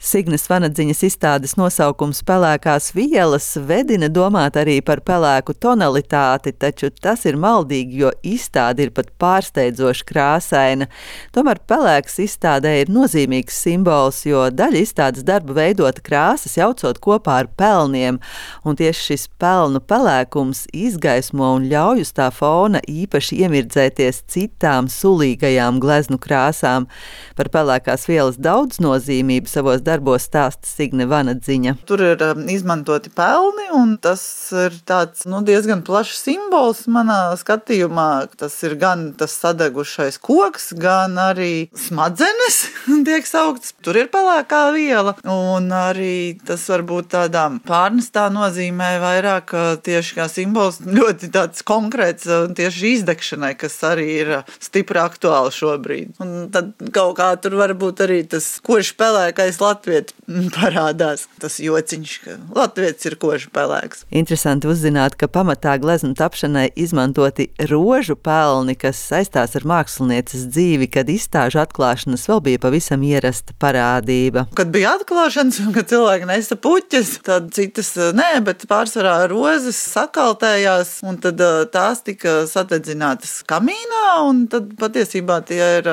Signes Vanadziņas izstādes nosaukums Pelēkās vielas vedina domāt arī par pelēku tonalitāti, taču tas ir maldīgi, jo izstāde ir pat pārsteidzoši krāsaina. Tomēr pelēks izstādē ir nozīmīgs simbols, jo daļa izstādes darba veidota krāsas jaucot kopā ar pelniem, un tieši šis pelnu pelēkums izgaismo un ļauj uz tā fona īpaši iemirdzēties citām sulīgajām gleznu krāsām. Par pelēkās vielas daudznozīmību savos darbos stāsta Signe Vanadziņa. Tur ir izmantoti pelni, un tas ir tāds diezgan plašs simbols manā skatījumā. Tas ir gan tas sadegušais koks, gan arī smadzenes tiek sauktas. Tur ir pelēkā viela, un arī tas varbūt tādā pārnestā nozīmē vairāk tieši kā simbols ļoti tāds konkrēts tieši izdegšanai, kas arī ir stipri aktuāli šobrīd. Un tad kaut kā tur varbūt arī tas koši pelēkais latvietis parādās. Tas jociņš, ka latvietis ir koši pelēks. Interesanti uzzināt, ka pamatā gleznu tapšanai izmantoti rožu pelni, kas saistās ar mākslinieces dzīvi, kad izstāžu atklāšanas vēl bija pavisam ierasta parādība. Kad bija atklāšanas un kad cilvēki nesa puķes, tad citas nē, bet pārsvarā rozes sakaltējās, un tad tās tika sadedzinātas kamīnā, un tad patiesībā tie ir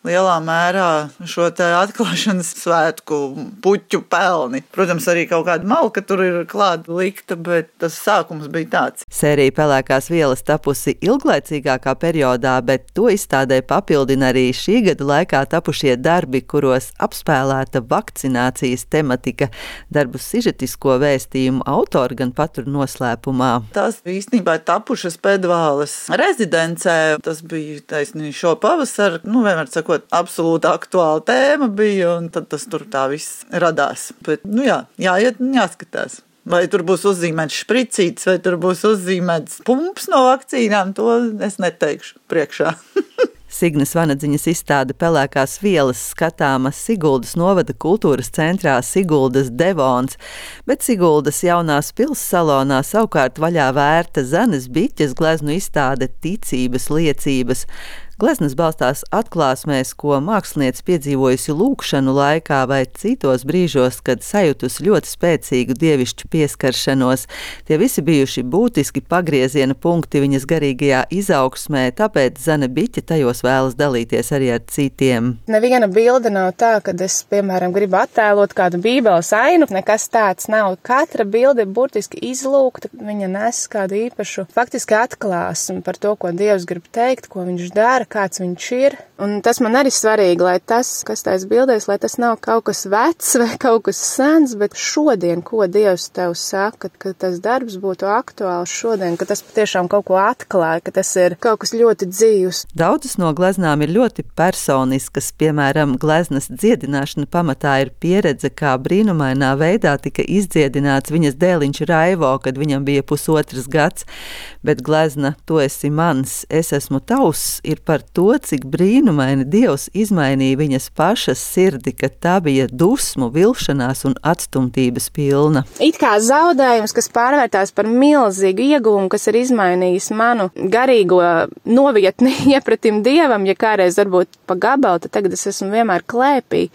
lielā mērā šo te atklāšanas svētku puķu pelni. Protams, arī kaut kāda malka tur ir klāta likta, bet tas sākums bija tāds. Sērija Pelēkās vielas tapusi ilglaicīgākā periodā, bet to izstādē papildina arī šī gada laikā tapušie darbi, kuros apspēlēta vakcinācijas tematika. Darbu sižetisko vēstījumu autori gan patur noslēpumā. Tās īstenībā tapušas Pedvāles rezidencē. Tas bija taisnīgi šo pavasaru, vienmēr sakot, absolūti aktuāla tēma bija, un tad tas tur tā viss radās. Bet, jāiet un jāskatās. Vai tur būs uzzīmēts špricītis, vai tur būs uzzīmēts pumps no vakcīnām, to es neteikšu priekšā. Signes Vanadziņas izstāde Pelēkās vielas skatāma Siguldas novada kultūras centrā Siguldas Devons, bet Siguldas jaunās pils salonā savukārt vaļā vērta Zanes Biķes gleznu izstāde Ticības liecības. Gleznas balstās atklāsmēs, ko māksliniece piedzīvojusi lūkšanu laikā vai citos brīžos, kad sajutusi ļoti spēcīgu dievišķu pieskaršanos. Tie visi bijuši būtiski pagrieziena punkti viņas garīgajā izaugsmē, tāpēc Zane Biķe tajos vēlas dalīties arī ar citiem. Neviena bilde nav tā, kad es, piemēram, gribu attēlot kādu bībeles ainu. Nekas tāds nav. Katra bilde ir burtiski izlūgta. Viņa nes kādu īpašu faktiski atklāsmi par to, ko Dievs grib teikt, ko viņš dara, kāds viņš ir. Un tas man arī svarīgi, lai tas, kas tais bildēs, lai tas nav kaut kas vecs vai kaut kas sens, bet šodien, ko Dievs tev saka, ka tas darbs būtu aktuāls šodien, ka tas patiešām kaut ko atklāja, ka tas ir kaut kas ļoti dzīvs. Daudzas no gleznām ir ļoti personiskas, piemēram, gleznas dziedināšana pamatā ir pieredze, kā brīnumainā veidā tika izdziedināts viņas dēliņš Raivo, kad viņam bija 1,5 gads, bet glezna Tu esi mans, es esmu tavs ir par to, cik brīnumaini Dievs izmainīja viņas pašas sirdi, ka tā bija dusmu, vilšanās un atstumtības pilna. It kā zaudējums, kas pārvērtās par milzīgu ieguvumu, kas ir izmainījis manu garīgo novietni iepratim Dievam, ja kādreiz varbūt pa gabalu, tad tagad es esmu vienmēr klēpī.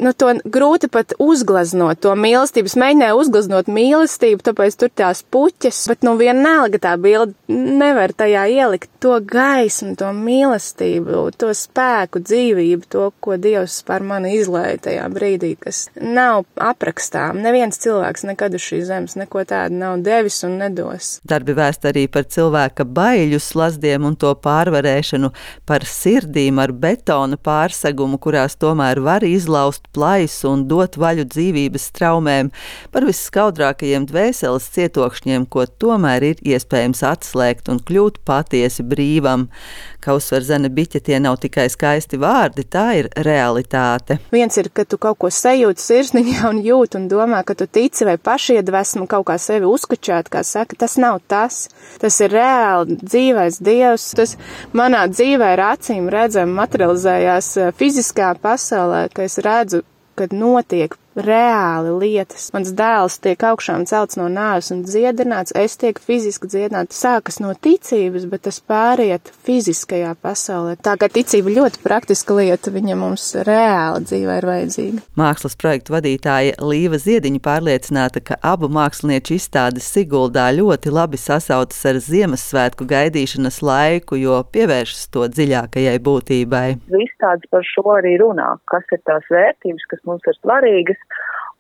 To grūti pat uzgleznot, to mīlestību. Es mēģināju uzgleznot mīlestību, tāpēc tur tās puķes, bet vienalga tā bilde nevar tajā ielikt to gaismu, to mīlestību, to spēku, dzīvību, to, ko Dievs par mani izlēja tajā brīdī, kas nav aprakstām. Neviens cilvēks nekad uz šīs zemes neko tādu nav devis un nedos. Darbi vēst arī par cilvēka baiļu slazdiem un to pārvarēšanu, par sirdīm ar betona pārsegumu, kurās tomēr var izlaust plaisu un dot vaļu dzīvības traumēm, par visskaudrākajiem dvēseles cietokšņiem, ko tomēr ir iespējams atslēgt un kļūt patiesi brīvam. Kā uzsver Zane Biķe, tie nav tikai skaisti vārdi, tā ir realitāte. Viens ir, ka tu kaut ko sajūti sirsniņā un jūt un domā, ka tu tici vai pašiedvesmu kaut kā sevi uzkučāt, kā saka, tas nav tas. Tas ir reāli dzīvais Dievs. Tas manā dzīvē ir acīm redzami materializējās fiziskā pasaulē, ka es redzu, kad notiek reāli lietas. Mans dēls tiek augšām celts no nāves un dziedināts, es tiek fiziski dziedināts. Sākas no ticības, bet tas pāriet fiziskajā pasaulē. Tā kā ticība ļoti praktiska lieta, viņa mums reāli dzīvē ir vajadzīga. Mākslas projektu vadītāja Līva Ziediņa pārliecināta, ka abu mākslinieču izstādes Siguldā ļoti labi sasaucas ar Ziemassvētku gaidīšanas laiku, jo pievēršas to dziļākajai būtībai. Izstādes par šo arī runā, kas ir tās vērtības, kas mums ir svarīgas,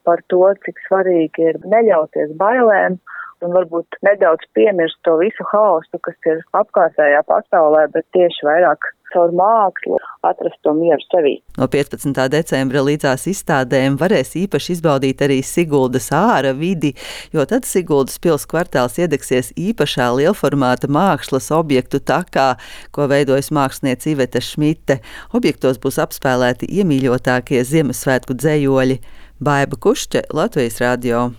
par to, cik svarīgi ir neļauties bailēm un varbūt nedaudz piemirst to visu haosu, kas ir apkārtējā pasaulē, bet tieši vairāk caur mākslu atrast to mieru sevī. No 15. decembra līdzās izstādēm varēs īpaši izbaudīt arī Siguldas āra vidi, jo tad Siguldas pils kvartāls iedegsies īpašā lielformāta mākslas objektu takā, ko veidojas māksliniece Iveta Šmite. Objektos būs apspēlēti iemīļotākie Ziemassvētku dzejoļi. Baiba Kušķe, Latvijas radio.